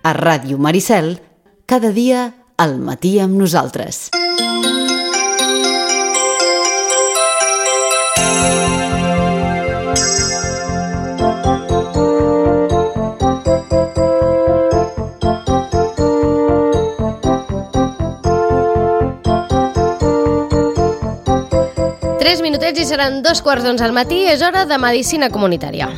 a Ràdio Maricel, cada dia al matí amb nosaltres. Tres minutets i seran 2:15 al matí. És hora de Medicina Comunitària.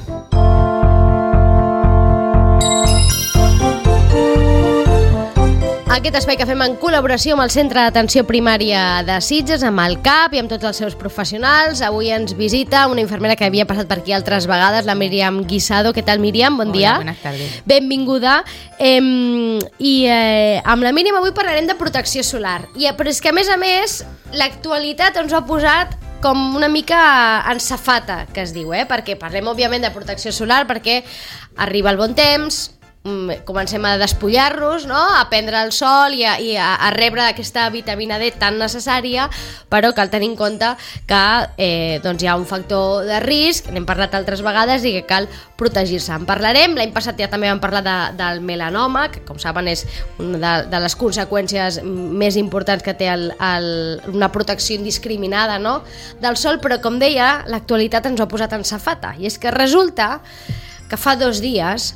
Aquest espai que fem en col·laboració amb el Centre d'Atenció Primària de Sitges, amb el CAP i amb tots els seus professionals. Avui ens visita una infermera que havia passat per aquí altres vegades, la Míriam Guisado. Què tal, Míriam? Bon dia. Hola, buenas tardes. Benvinguda. Amb la Míriam avui parlarem de protecció solar. Però és que, a més, l'actualitat ens ho ha posat com una mica en safata, que es diu, perquè parlem, òbviament, de protecció solar, perquè arriba el bon temps, comencem a despullar-nos, no? A prendre el sol i a rebre aquesta vitamina D tan necessària, però cal tenir en compte que doncs hi ha un factor de risc, n'hem parlat altres vegades, i que cal protegir-se. En parlarem, l'any passat ja també vam parlar del melanoma, que com saben és una de les conseqüències més importants que té una protecció indiscriminada, no? Del sol, però com deia, l'actualitat ens ho ha posat en safata, i és que resulta que fa 2 dies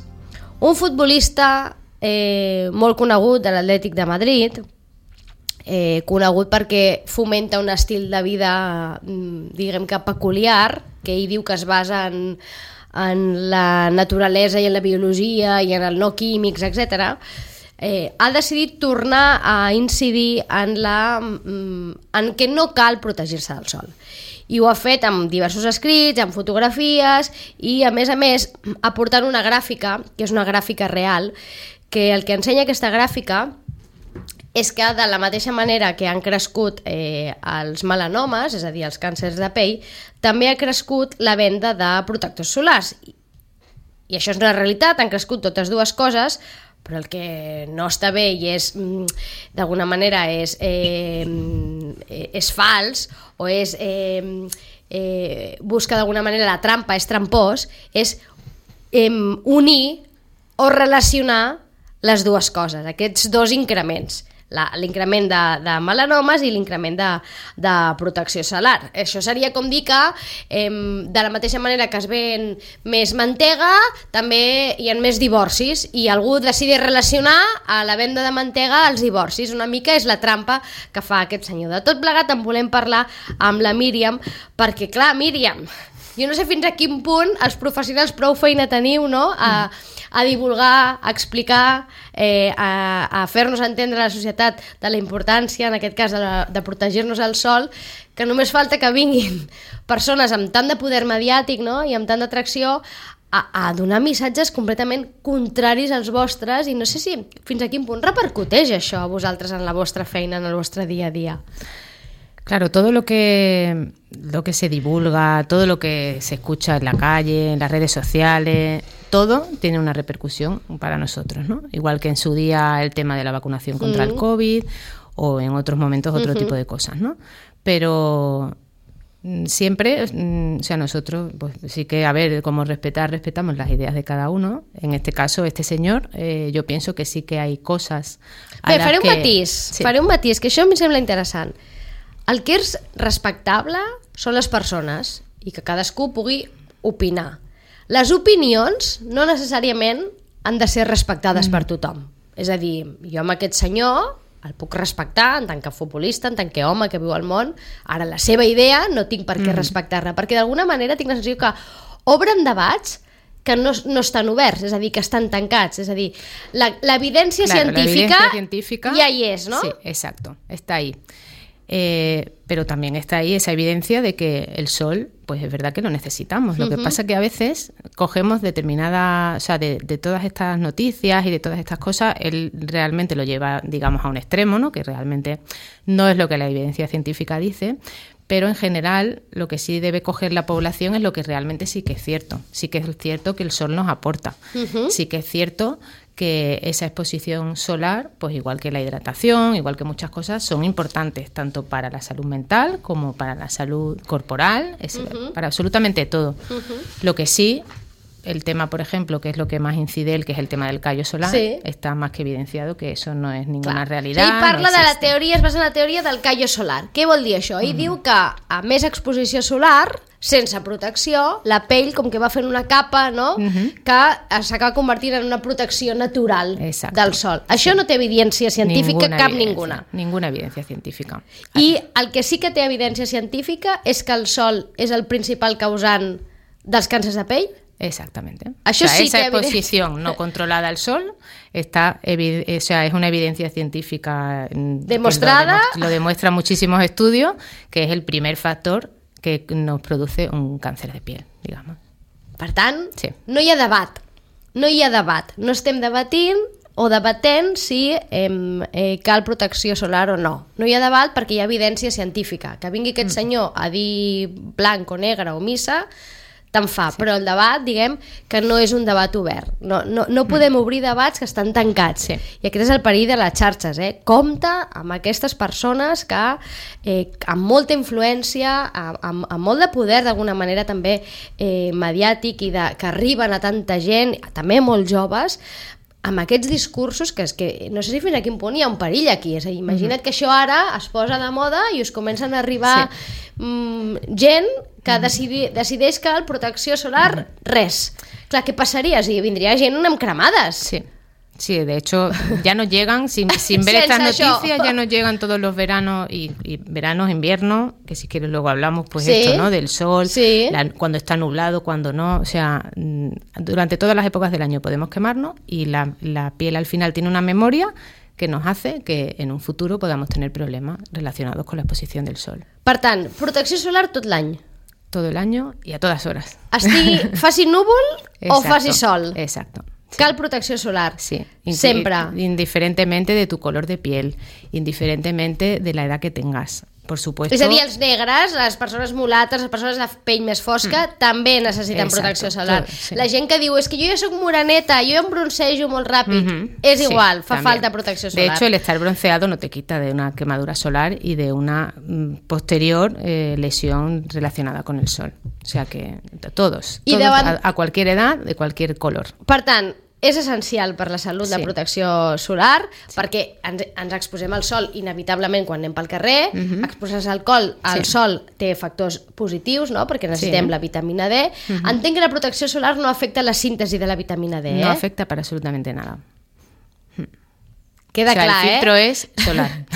un futbolista molt conegut de l'Atlètic de Madrid, conegut perquè fomenta un estil de vida, diguem que peculiar, que ell diu que es basa en la naturalesa i en la biologia i en el no químics, etc., ha decidit tornar a incidir en que no cal protegir-se del sol. I ho ha fet amb diversos escrits, amb fotografies i, a més, aportant una gràfica, que és una gràfica real, que el que ensenya aquesta gràfica és que de la mateixa manera que han crescut els melanomes, és a dir, els càncers de pell, també ha crescut la venda de protectors solars. I això és una realitat, han crescut totes dues coses, però el que no està bé i és, d'alguna manera, és fals o és busca d'alguna manera la trampa, és trampós, és unir o relacionar les dues coses, aquests dos increments, l'increment de melanomes i l'increment de protecció solar. Això seria com dir que de la mateixa manera que es ven més mantega, també hi ha més divorcis, i algú decideix relacionar a la venda de mantega als divorcis. Una mica és la trampa que fa aquest senyor. De tot plegat en volem parlar amb la Míriam, perquè clar, Míriam, jo no sé fins a quin punt els professionals prou feina teniu, no?, a divulgar, a explicar, a fer-nos entendre a la societat de la importància, en aquest cas, de protegir-nos al sol, que només falta que vinguin persones amb tant de poder mediàtic, no?, i amb tant d'atracció a donar missatges completament contraris als vostres, i no sé si fins a quin punt repercuteix això a vosaltres en la vostra feina, en el vostre dia a dia. Claro, todo lo que se divulga, todo lo que se escucha en la calle, en las redes sociales, todo tiene una repercusión para nosotros, ¿no? Igual que en su día el tema de la vacunación contra el COVID o en otros momentos otro tipo de cosas, ¿no? Pero siempre, o sea, nosotros pues sí que, a ver, como respetamos las ideas de cada uno. En este caso, este señor, yo pienso que sí que hay cosas a las que... Faré un matís, que això em sembla interessant. El que és respectable són les persones i que cadascú pugui opinar. Les opinions no necessàriament han de ser respectades per tothom. És a dir, jo amb aquest senyor el puc respectar en tant que futbolista, en tant que home que viu al món. Ara, la seva idea no tinc per què respectar-la, perquè d'alguna manera tinc la sensació que obren debats que no estan oberts, és a dir, que estan tancats. És a dir, l'evidència científica ja hi és, no? Sí, exacto, está ahí. Pero también está ahí esa evidencia de que el sol, pues es verdad que lo necesitamos. Lo que pasa es que a veces cogemos determinadas, o sea, de todas estas noticias y de todas estas cosas, él realmente lo lleva, digamos, a un extremo, ¿no? Que realmente no es lo que la evidencia científica dice, pero en general lo que sí debe coger la población es lo que realmente sí que es cierto. Sí que es cierto que el sol nos aporta. Sí que es cierto que esa exposición solar, pues igual que la hidratación, igual que muchas cosas, son importantes tanto para la salud mental como para la salud corporal, para absolutamente todo. Lo que sí el tema, por ejemplo, que es lo que más incide él, que es el tema del callo solar, està más que evidenciado que eso no és ninguna realitat. Ell parla de la teoria, es basa en la teoria del callo solar. Què vol dir això? Ell diu que a més exposició solar, sense protecció, la pell com que va fent una capa, no? Que s'acaba convertint en una protecció natural del sol. Això no té evidència científica, ninguna. Ninguna evidència científica. I el que sí que té evidència científica és que el sol és el principal causant dels càncers de pell. Exactamente. Això sí esa exposición no controlada al sol está, es una evidencia científica demostrada. Lo demuestra muchísimos estudios, que es el primer factor que nos produce un càncer de piel, digamos. Per tant, no hi ha debat. No hi ha debat. No estem debatint o debatent si cal protecció solar o no. No hi ha debat perquè hi ha evidència científica. Que vingui aquest senyor a dir blanc o negre o missa, tant fa, però el debat, diguem, que no és un debat obert. No podem obrir debats que estan tancats. I aquest és el perill de les xarxes. Compte amb aquestes persones que, amb molta influència, amb molt de poder, d'alguna manera també mediàtic, i que arriben a tanta gent, també molt joves, amb aquests discursos que és que no sé si fins a quin punt hi ha un perill aquí. És a dir, imagina't que això ara es posa de moda i us comencen a arribar gent que decideix que la protecció solar, res. Clar, què passaria? O sigui, vindria gent amb cremades. Sí, de hecho, ya nos llegan, sin ver estas noticias, ya nos llegan todos los veranos y veranos, inviernos, que si quieres luego hablamos, pues esto, ¿no? Del sol, cuando está nublado, cuando no, o sea, durante todas las épocas del año podemos quemarnos y la piel al final tiene una memoria que nos hace que en un futuro podamos tener problemas relacionados con la exposición del sol. Per tant, protecció solar tot l'any. Todo el año y a todas horas. Faci núvol o faci sol. Exacto. Cal protecció solar, sí, sempre. Indiferentemente de tu color de piel, indiferentemente de la edad que tengas, por supuesto. És a dir, els negres, les persones mulates, les persones de pell més fosca, també necessiten protecció solar. La gent que diu, és que jo ja soc moreneta, jo em broncejo molt ràpid, és igual, fa falta protecció solar. De hecho, el estar bronceado no te quita de una quemadura solar y de una posterior lesión relacionada con el sol. O sea que todos a cualquier edad, de cualquier color. Per tant, és essencial per la salut la protecció solar, perquè ens exposem al sol inevitablement quan anem pel carrer, exposar-se al sol té factors positius, no? Perquè necessitem la vitamina D. Entenc que la protecció solar no afecta la síntesi de la vitamina D, No afecta para absolutamente nada. Queda clar, el filtro és solar.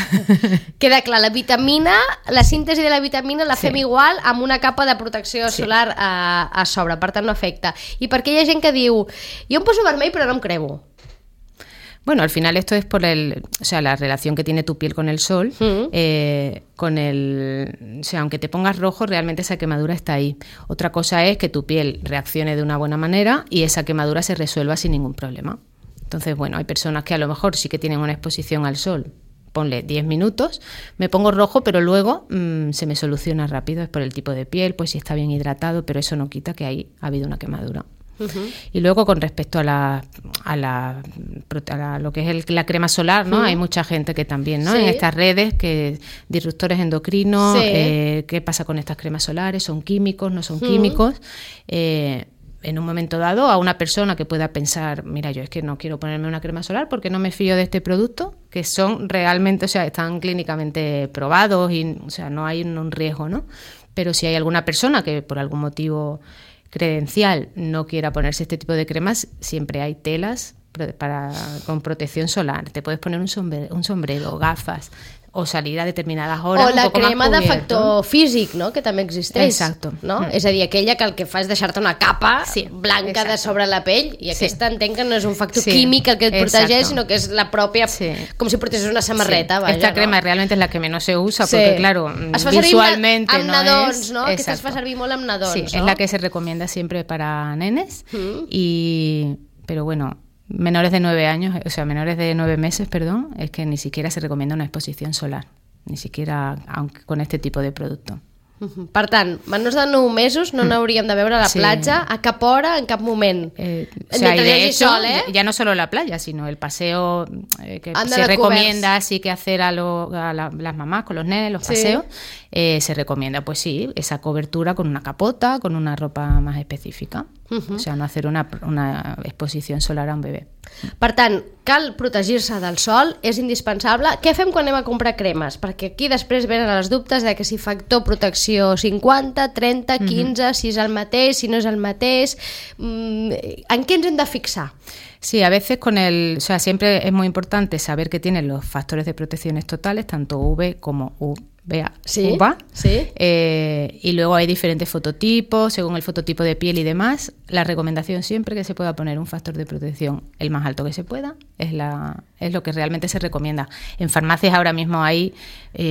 Queda clar, la síntesi de la vitamina la fem igual amb una capa de protecció solar a sobre, per tant no afecta. I per què hi ha gent que diu, jo em poso vermell però no em cremo? Bueno, al final esto es por la relación que tiene tu piel con el sol, aunque te pongas rojo, realmente esa quemadura está ahí. Otra cosa es que tu piel reaccione de una buena manera y esa quemadura se resuelva sin ningún problema. Entonces, bueno, hay personas que a lo mejor sí que tienen una exposición al sol, ponle 10 minutos, me pongo rojo, pero luego se me soluciona rápido, es por el tipo de piel, pues si está bien hidratado, pero eso no quita que ahí ha habido una quemadura. Y luego con respecto a lo que es la crema solar, ¿no? Hay mucha gente que también, ¿no? En estas redes, que disruptores endocrinos, ¿qué pasa con estas cremas solares? ¿Son químicos? ¿No son químicos? En un momento dado, a una persona que pueda pensar, mira, yo es que no quiero ponerme una crema solar porque no me fío de este producto, que son realmente, están clínicamente probados y, no hay un riesgo, ¿no? Pero si hay alguna persona que por algún motivo credencial no quiera ponerse este tipo de cremas, siempre hay telas con protección solar. Te puedes poner un sombrero, gafas, o salir a determinades hores. O la crema de factor físic, no? Que també existeix. Exacto. No? És a dir, aquella que el que fa és deixar-te una capa blanca de sobre la pell, i aquesta entenc que no és un factor químic el que et protegeix, sinó que és la pròpia, com si portessis una samarreta. Vaja, esta crema realmente es la que menos se usa, porque claro, visualmente amb nadons, no? Aquesta es fa servir molt amb nadons, ¿no? Es la que se recomienda siempre para nenes, pero bueno, menores de 9 meses, es que ni siquiera se recomienda una exposición solar, ni siquiera aunque con este tipo de producto. Per tant, menors de 9 mesos no n'hauríem de veure a la platja a cap hora, en cap moment. O sea, y de hecho, ya no solo la playa, sino el paseo que se recomienda sí que hacer a las mamás con los nenes, los paseos, se recomienda, pues sí, esa cobertura con una capota, con una ropa más específica. O sea, no hacer una exposició solar a un bebè. Per tant, cal protegir-se del sol, és indispensable. Què fem quan anem a comprar cremes? Perquè aquí després venen els dubtes de que si factor protecció 50, 30, 15, si és el mateix, si no és el mateix. ¿En qué ens hem de fixar? Sí, a veces o sea, siempre es muy importante saber que tienen los factores de protecciones totales, tanto UV como UVA. Sí. Y luego hay diferentes fototipos, según el fototipo de piel y demás. La recomendación siempre que se pueda poner un factor de protección el más alto que se pueda es lo que realmente se recomienda. En farmacias ahora mismo hay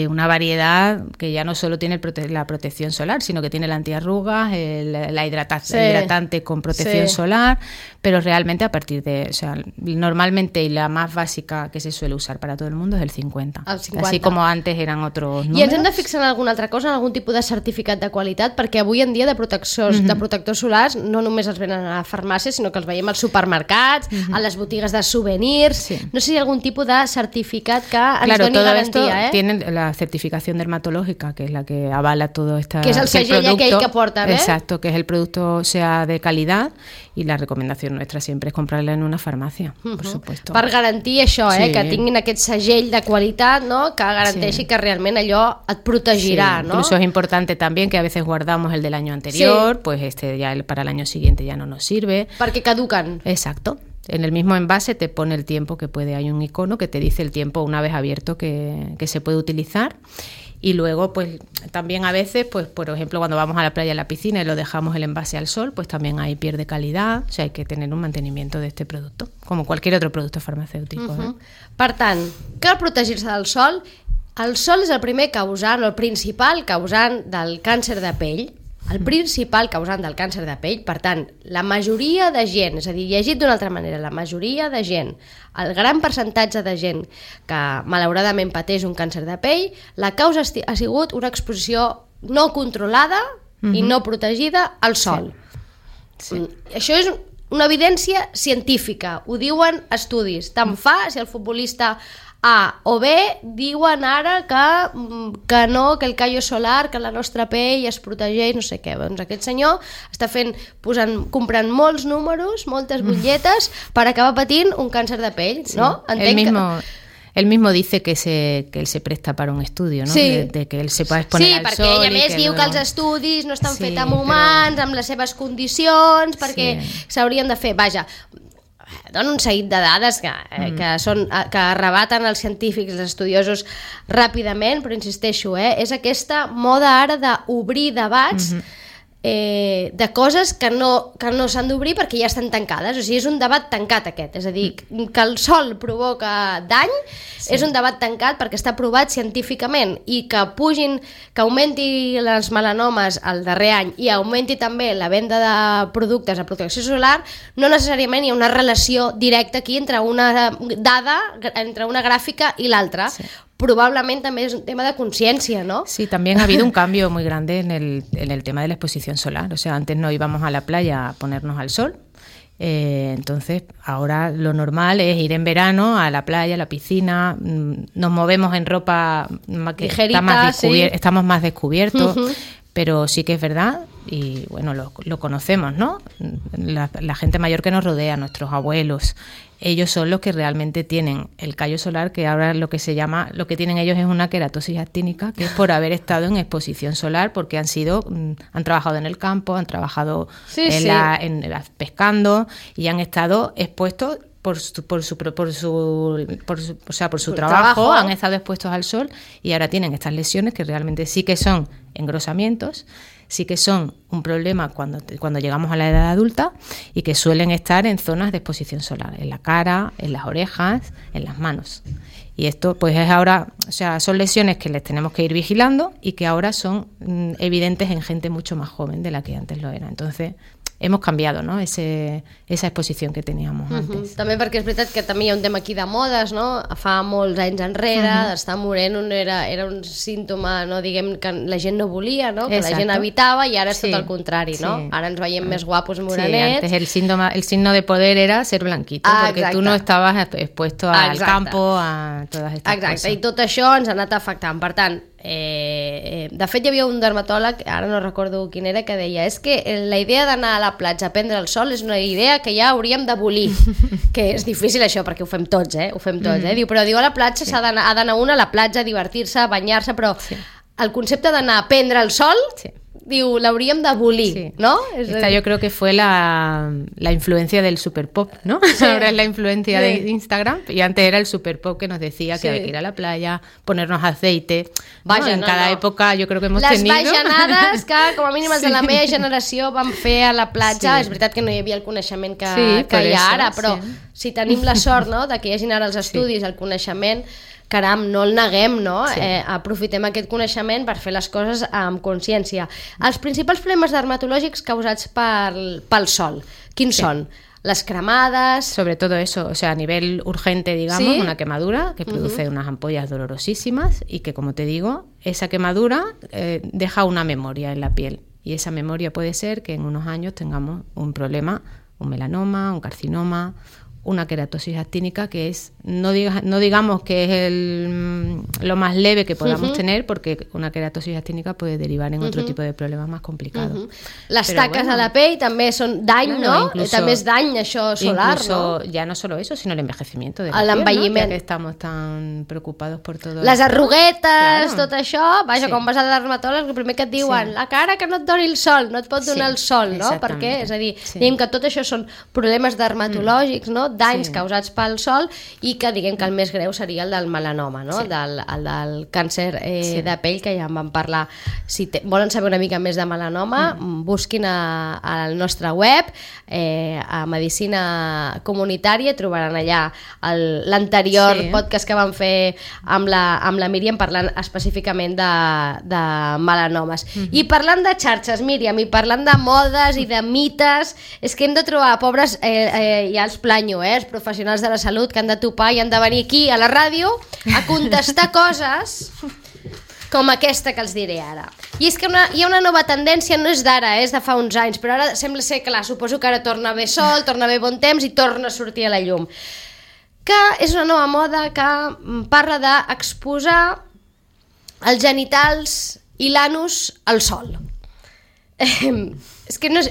una variedad que ya no solo tiene la protección solar, sino que tiene el antiarrugas, la hidratante con protección solar, pero realmente a partir de, o sea, normalmente y la más básica que se suele usar para todo el mundo es el 50. Así como antes eran otros números. I ens hem de fixar en alguna altra cosa, en algun tipus de certificat de qualitat, perquè avui en dia de protectors solars no només els venen a la farmàcia, sinó que els veiem als supermercats, a les botigues de souvenirs. Sí. No sé si hi ha algun tipus de certificat que ens doni garantia. Tienen la certificación dermatológica, que es la que avala todo esta... Que és el segell aquell que porta, ¿eh? Exacto, que es el producto sea de calidad, y la recomendación nuestra siempre es comprarla en una farmacia, por supuesto. Per garantir això, que tinguin aquest segell de qualitat, no? Que garanteixi que realment allò et protegirà, ¿no? Incluso es importante también que a veces guardamos el del año anterior, pues ya para el año siguiente ya no nos sirve. Perquè caducan. Exacto. En el mismo envase te pone el tiempo que puede, hay un icono que te dice el tiempo una vez abierto que se puede utilizar. Y luego, pues también a veces, pues por ejemplo, cuando vamos a la playa, a la piscina y lo dejamos el envase al sol, pues también ahí pierde calidad. O sea, hay que tener un mantenimiento de este producto, como cualquier otro producto farmacéutico. Per tant, cal protegir-se del sol. El sol és el primer causant, o el principal causant del càncer de pell. El principal causant del càncer de pell. Per tant, la majoria de gent, és a dir, llegit d'una altra manera, la majoria de gent, el gran percentatge de gent que malauradament pateix un càncer de pell, la causa ha sigut una exposició no controlada i no protegida al sol. Sí. Això és una evidència científica, ho diuen estudis. Tant fa si el futbolista A o B diuen ara que no, que el callo solar, que la nostra pell es protegeix, no sé què. Doncs aquest senyor està comprant molts números, moltes butlletes per acabar patint un càncer de pell, no? Él mismo dice que él se presta para un estudio, ¿no? Sí. De que él se pueda exponer al sol. Sí, perquè ell a més diu que els estudis no estan fets amb humans, amb les seves condicions, perquè s'haurien de fer, vaja, dona un seguit de dades que arrebaten els científics, els estudiosos ràpidament, però insisteixo, és aquesta moda ara d'obrir debats de coses que no s'han d'obrir perquè ja estan tancades. O sigui, és un debat tancat aquest, és a dir, que el sol provoca dany, és un debat tancat perquè està provat científicament, i que augmenti les melanomes el darrer any i augmenti també la venda de productes de protecció solar, no necessàriament hi ha una relació directa aquí entre una dada, entre una gràfica i l'altra. Probablemente también es un tema de conciencia, ¿no? Sí, también ha habido un cambio muy grande en el tema de la exposición solar. O sea, antes no íbamos a la playa a ponernos al sol. Entonces, ahora lo normal es ir en verano a la playa, a la piscina. Nos movemos en ropa que ligerita, estamos más descubiertos. Pero sí que es verdad, y bueno, lo conocemos, ¿no? La gente mayor que nos rodea, nuestros abuelos, ellos son los que realmente tienen el callo solar, que ahora lo que que tienen ellos es una queratosis actínica, que es por haber estado en exposición solar, porque han trabajado en el campo, han trabajado pescando, y han estado expuestos por su trabajo, han estado expuestos al sol, y ahora tienen estas lesiones que realmente sí que son engrosamientos, sí que son un problema cuando llegamos a la edad adulta, y que suelen estar en zonas de exposición solar, en la cara, en las orejas, en las manos. Y esto pues es ahora, o sea, son lesiones que les tenemos que ir vigilando y que ahora son evidentes en gente mucho más joven de la que antes lo era. Entonces, hemos cambiado, ¿no? Esa exposición que teníamos antes. També perquè és veritat que també hi ha un tema aquí de modes, no? Fa molts anys enrere, d'estar moreno era un símptoma, no? Diguem que la gent no volia, no? Que la gent evitava, i ara és tot el contrari, no? Ara ens veiem més guapos morenets. Sí, antes el signo de poder era ser blanquito, porque tú no estabas expuesto al campo, a todas estas cosas. Exacte, i tot això ens ha anat afectant. Per tant, de fet hi havia un dermatòleg, ara no recordo quin era, que deia és que la idea d'anar a la platja a prendre el sol és una idea que ja hauríem d'abolir, que és difícil això perquè ho fem tots, Diu, però a la platja ha d'anar un a la platja a divertir-se, a banyar-se, però el concepte d'anar a prendre el sol, diu, l'hauríem d'abolir, ¿no? Esta yo creo que fue la influencia del super pop, ¿no? Ahora es la influencia de Instagram, y antes era el super pop que nos decía que había que ir a la playa, ponernos aceite. Vaja, en cada època jo crec que hemos tenido... Les bajanades que, com a mínim, els de la meva generació van fer a la platja. És veritat que no hi havia el coneixement que hi ha ara, però si tenim la sort, no?, de que hi hagin ara els estudis, el coneixement, caram, no el neguem, no? Aprofitem aquest coneixement per fer les coses amb consciència. Els principals problemes dermatològics causats pel sol, quins són? Las cremadas... Sobre todo eso, o sea, a nivel urgente, digamos, una quemadura que produce unas ampollas dolorosísimas y que, como te digo, esa quemadura deja una memoria en la piel. Y esa memoria puede ser que en unos años tengamos un problema, un melanoma, un carcinoma, una queratosis actínica, que es, no digamos que es lo más leve que podamos tener, porque una queratosis actínica puede derivar en otro tipo de problemas más complicados. Les taques a la pell també són dany, no? També és dany, això solar, incluso, no? Ya no solo eso, sino el envejecimiento de la piel, ¿no? Ya que estamos tan preocupados por todo les arruguetes, tot això, vaja, quan vas al dermatòleg, el primer que et diuen, la cara que no et doni el sol, no et pot donar el sol, no? Per què? És a dir, diguem que tot això són problemes dermatològics, no? Danys causats pel sol, i que diguem que el més greu seria el del melanoma, no? El del càncer de pell, que ja en vam parlar. Si volen saber una mica més de melanoma, busquin al nostre web, a Medicina Comunitària, trobaran allà l'anterior podcast que vam fer amb la Míriam, parlant específicament de melanomes. I parlant de xarxes, Míriam, i parlant de modes i de mites, és que hem de trobar, pobres, ja els planyo, els professionals de la salut que han de topar i han de venir aquí a la ràdio a contestar coses com aquesta que els diré ara. I és que hi ha una nova tendència, no és d'ara, és de fa uns anys, però ara sembla ser, clar, suposo que ara torna a haver sol, torna a haver bon temps i torna a sortir a la llum. Que és una nova moda que parla d'exposar els genitals i l'anus al sol. És que no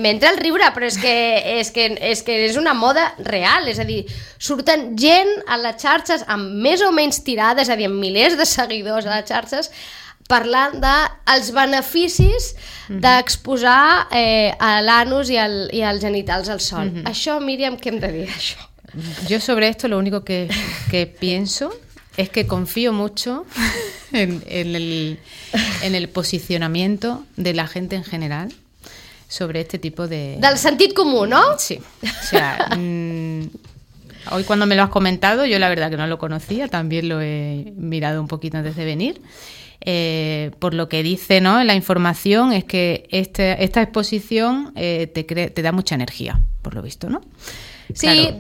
m'entra el riure, però és que és una moda real, és a dir, surten gent a les xarxes amb més o menys tirades, és a dir, amb milers de seguidors a les xarxes, parlant dels beneficis d'exposar l'anus i els genitals al sol. Això, Míriam, què hem de dir d'això? Yo sobre esto lo único que pienso es que confío mucho en el posicionamiento de la gente en general sobre este tipo de... Del sentit comú, ¿no? Sí. O sea, hoy cuando me lo has comentado, yo la verdad que no lo conocía, también lo he mirado un poquito antes de venir. Por lo que dice, ¿no?, en la información, es que esta exposición te da mucha energía, por lo visto, ¿no? Sí, claro.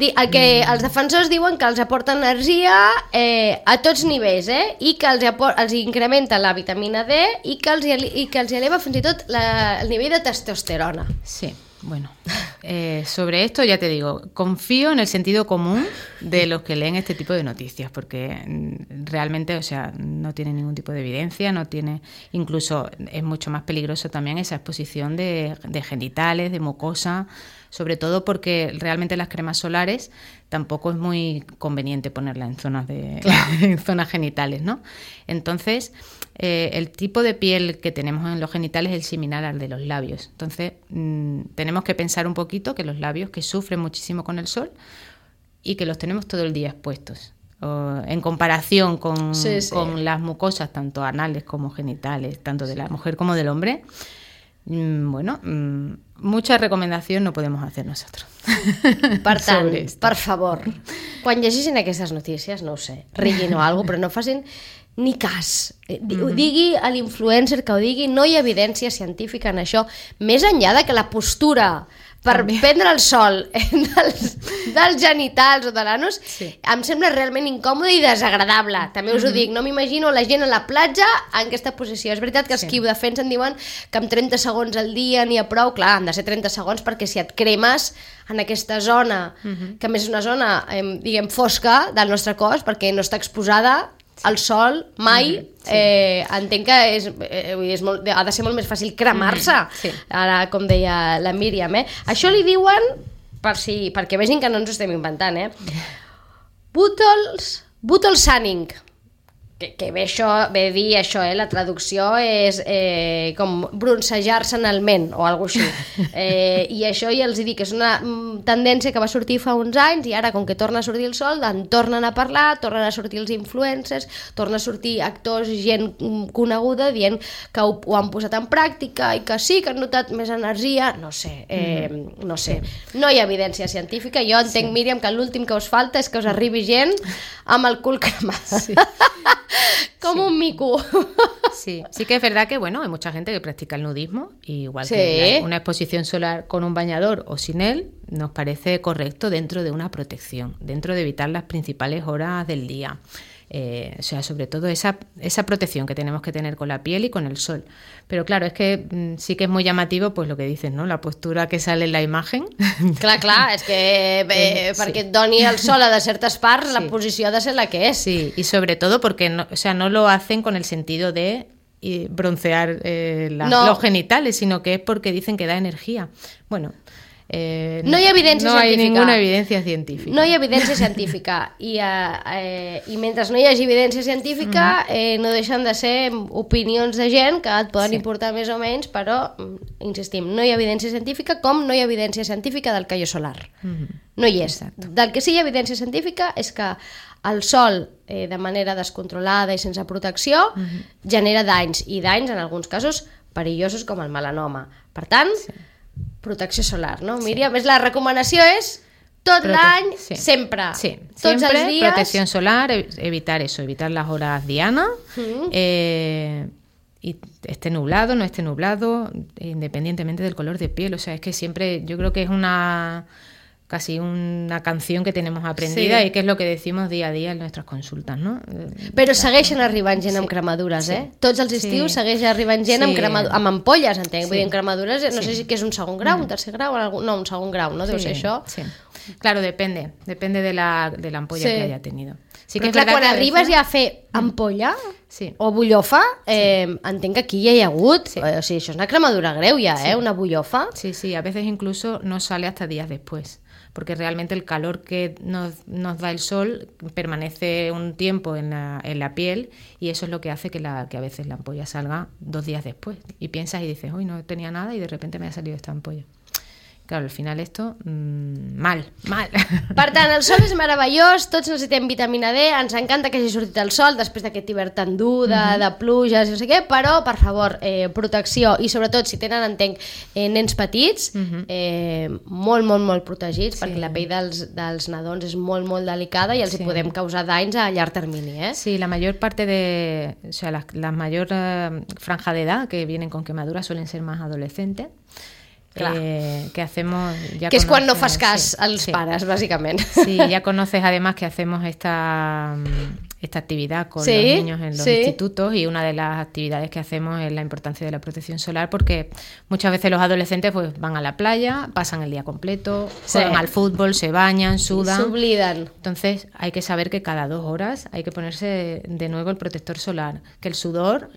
Els defensors diuen que els aporta energia a tots nivells, i que els incrementa la vitamina D i que els eleva fins i tot el nivell de testosterona. Sí, bueno, sobre esto ya te digo, confío en el sentido común de los que leen este tipo de noticias, porque realmente, o sea, no tiene ningún tipo de evidencia, no tiene, incluso es mucho más peligroso también esa exposición de genitales, de mucosa, sobre todo porque realmente las cremas solares tampoco es muy conveniente ponerlas en zonas en zonas genitales, ¿no? Entonces, el tipo de piel que tenemos en los genitales es similar al de los labios. Entonces, tenemos que pensar un poquito que los labios, que sufren muchísimo con el sol y que los tenemos todo el día expuestos, en comparación con las mucosas, tanto anales como genitales, tanto de la mujer como del hombre. Bueno, mucha recomendación no podemos hacer nosotros. Per tant, per favor, quan llegeixin aquestes notícies, no ho sé, riguin o alguna cosa, però no facin ni cas. Ho digui a l'influencer que ho digui, no hi ha evidència científica en això, més enllà de que la postura per prendre el sol dels genitals o de l'anus em sembla realment incòmode i desagradable. També us ho dic, no m'imagino la gent a la platja en aquesta posició. És veritat que els qui ho defensen diuen que amb 30 segons al dia n'hi ha prou. Clar, han de ser 30 segons perquè si et cremes en aquesta zona, que a més és una zona, diguem, fosca del nostre cos, perquè no està exposada al sol mai, entenc que ha de ser molt més fàcil cremar-se, ara com deia la Míriam, Això li diuen, perquè vegin que no ens ho estem inventant, Butolsanning, que ve a dir això, la traducció és com broncejar-se en el ment o alguna cosa així, i això ja els dic que és una tendència que va sortir fa uns anys i ara com que torna a sortir el sol en tornen a parlar, tornen a sortir els influencers, tornen a sortir actors, gent coneguda dient que ho han posat en pràctica i que sí, que han notat més energia, no sé, no hi ha evidència científica. Jo entenc, Míriam, que l'últim que us falta és que us arribi gent amb el cul cremat. Como un mico. Sí que es verdad que, bueno, hay mucha gente que practica el nudismo, y igual que una exposición solar con un bañador o sin él, nos parece correcto dentro de una protección, dentro de evitar las principales horas del día. O sea, sobre todo esa protección que tenemos que tener con la piel y con el sol. Pero claro, es que sí que es muy llamativo pues lo que dices, ¿no? La postura que sale en la imagen. Clar, és que perquè et doni el sol a certes parts, la posició ha de ser la que és. Sí, y sobre todo porque no lo hacen con el sentido de broncear los genitales, sino que es porque dicen que da energía. Bueno, no hi ha evidència científica. No hay ninguna evidencia científica. No hi ha evidència científica. I mentre no hi hagi evidència científica, no deixen de ser opinions de gent que et poden importar més o menys, però, insistim, no hi ha evidència científica com no hi ha evidència científica del caió solar. No hi és. Exacto. Del que sí hi ha evidència científica és que el sol, de manera descontrolada i sense protecció, genera danys, i danys, en alguns casos, perillosos com el melanoma. Per tant, protecció solar, no? Míriam, la recomanació és tot l'any, sempre. Sí, tots siempre els dies. Protección solar, evitar las horas dianas, y esté nublado, no esté nublado, independientemente del color de piel. O sea, es que siempre, yo creo que es casi una canción que tenemos aprendida y que és el que decimos día a día en nuestras consultas, no? Però segueixen arribant gent amb cremadures, Tots els estius segueix arribant gent amb ampolles, entenc. Vull dir, en cremadures, no sé si és un segon grau, un tercer grau, no, un segon grau, no? Deu ser això. Sí. Claro, depende de la ampolla que haya tenido. Sí que però clar, quan arribes ja a fer ampolla o bullofa, entenc que aquí ja hi ha hagut, o sigui, això és una cremadura greu ja, una bullofa. Sí, a veces incluso no sale hasta días después, porque realmente el calor que nos da el sol permanece un tiempo en la piel, y eso es lo que hace que a veces la ampolla salga 2 días después, y piensas y dices, uy, no tenía nada y de repente me ha salido esta ampolla. Claro, al final esto, mal. Per tant, el sol és meravellós, tots necessitem vitamina D, ens encanta que hagi sortit el sol després d'aquest hivern tan dur, de pluges, no sé què, però, per favor, protecció, i sobretot si tenen, entenc, nens petits, molt, molt, molt protegits, perquè la pell dels nadons és molt, molt delicada i els hi podem causar danys a llarg termini, Sí, la mayor parte o sea, la mayor franja de edad que vienen con quemaduras suelen ser más adolescentes. Que hacemos ya que és quan no fas cas als pares, bàsicament. Sí, ya conoces además que hacemos esta actividad con los niños en los institutos, y una de las actividades que hacemos es la importancia de la protección solar, porque muchas veces los adolescentes pues van a la playa, pasan el día completo, juegan al fútbol, se bañan, sudan, se oblidan. Entonces hay que saber que cada 2 horas hay que ponerse de nuevo el protector solar, que el sudor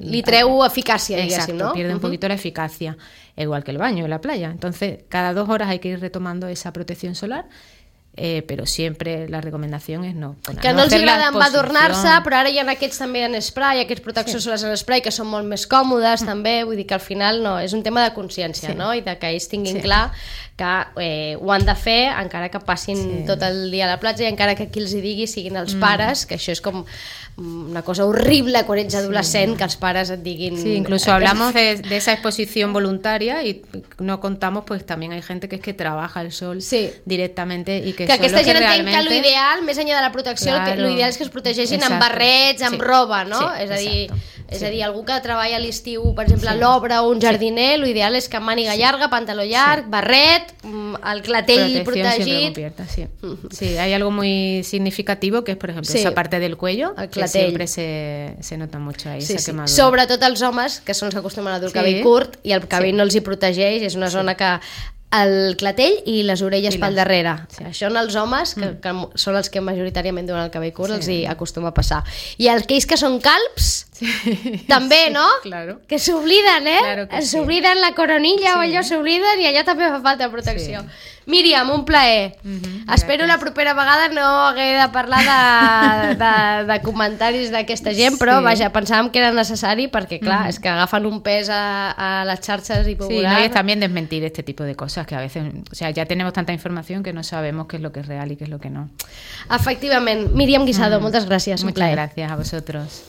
li treu eficàcia, diguéssim, ¿no? Pierde un poquito la eficacia, igual que el baño en la playa. Entonces cada 2 horas hay que ir retomando esa protección solar. Però sempre la recomanació és no poner. Que no els agrada embadornar-se, però ara hi ha aquests també en spray, aquests protectors solars en spray que són molt més còmodes també, vull dir que al final no, és un tema de consciència, no? I de que ells tinguin clar que ho han de fer encara que passin tot el dia a la platja, i encara que qui els hi digui siguin els pares, que això és com una cosa horrible quan ets adolescent, que els pares et diguin... Sí, incluso hablamos de esa exposición voluntaria y no contamos, pues también hay gente que es que trabaja el sol directamente y que Que aquesta son los gent que entenc que realmente- l'ideal, més enllà de la protecció, Claro. l'ideal és que es protegeixin amb Exacto. barrets, amb Sí. roba, no? Sí, És a dir, exacto. és Sí. a dir, algú que treballa a l'estiu, per exemple, a l'obra o un jardiner, l'ideal és que màniga llarga, pantaló llarg, barret, el clatell Protección siempre protegit. cubierta, sí. Sí, hay algo muy significativo que es, por ejemplo, Sí. esa parte del cuello, El que clatell. siempre se nota mucho ahí, Sí, esa sí. quemadura. Sobretot els homes, que són els que acostumen a dur el Sí. cabell curt i el cabell Sí. no els hi protegeix, és una zona que el clatell i les orelles I pel les- darrere. sí. Això en els homes, que són els que majoritàriament duen el cabell curt, Sí. els hi acostuma a passar. I aquells que són calbs, també, no? Claro. Que s'obliden, Claro que sí. S'obliden la coronilla o Sí. allò, s'obliden i allà també fa falta protecció. Sí. Míriam, un plaer. Espero gràcies. la propera vegada no haver de parlar de comentaris d'aquesta gent, però Sí. vaja, pensàvem que era necessari perquè, clar, és que agafen un pes a les xarxes i Sí, popular. no, y es también desmentir este tipo de cosas que a veces, o sea, ya tenemos tanta información que no sabemos qué es lo que es real y qué es lo que no. Efectivament. Míriam Guisado, moltes gràcies, un Muchas plaer. gracias a vosotros.